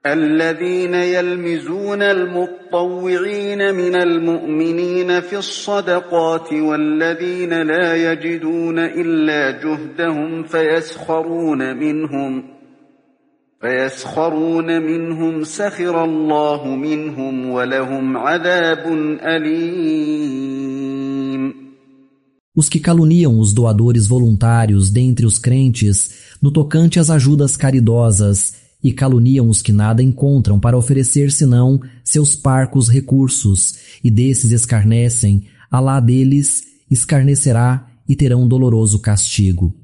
الذين يلمزون المطوعين من المؤمنين في الصدقات والذين لا يجدون إلا جهدهم فيسخرون منهم سخر الله منهم ولهم عذاب أليم. Os que caluniam os doadores voluntários dentre os crentes no tocante às ajudas caridosas e caluniam os que nada encontram para oferecer senão seus parcos recursos, e desses escarnecem, Alá deles escarnecerá e terão doloroso castigo.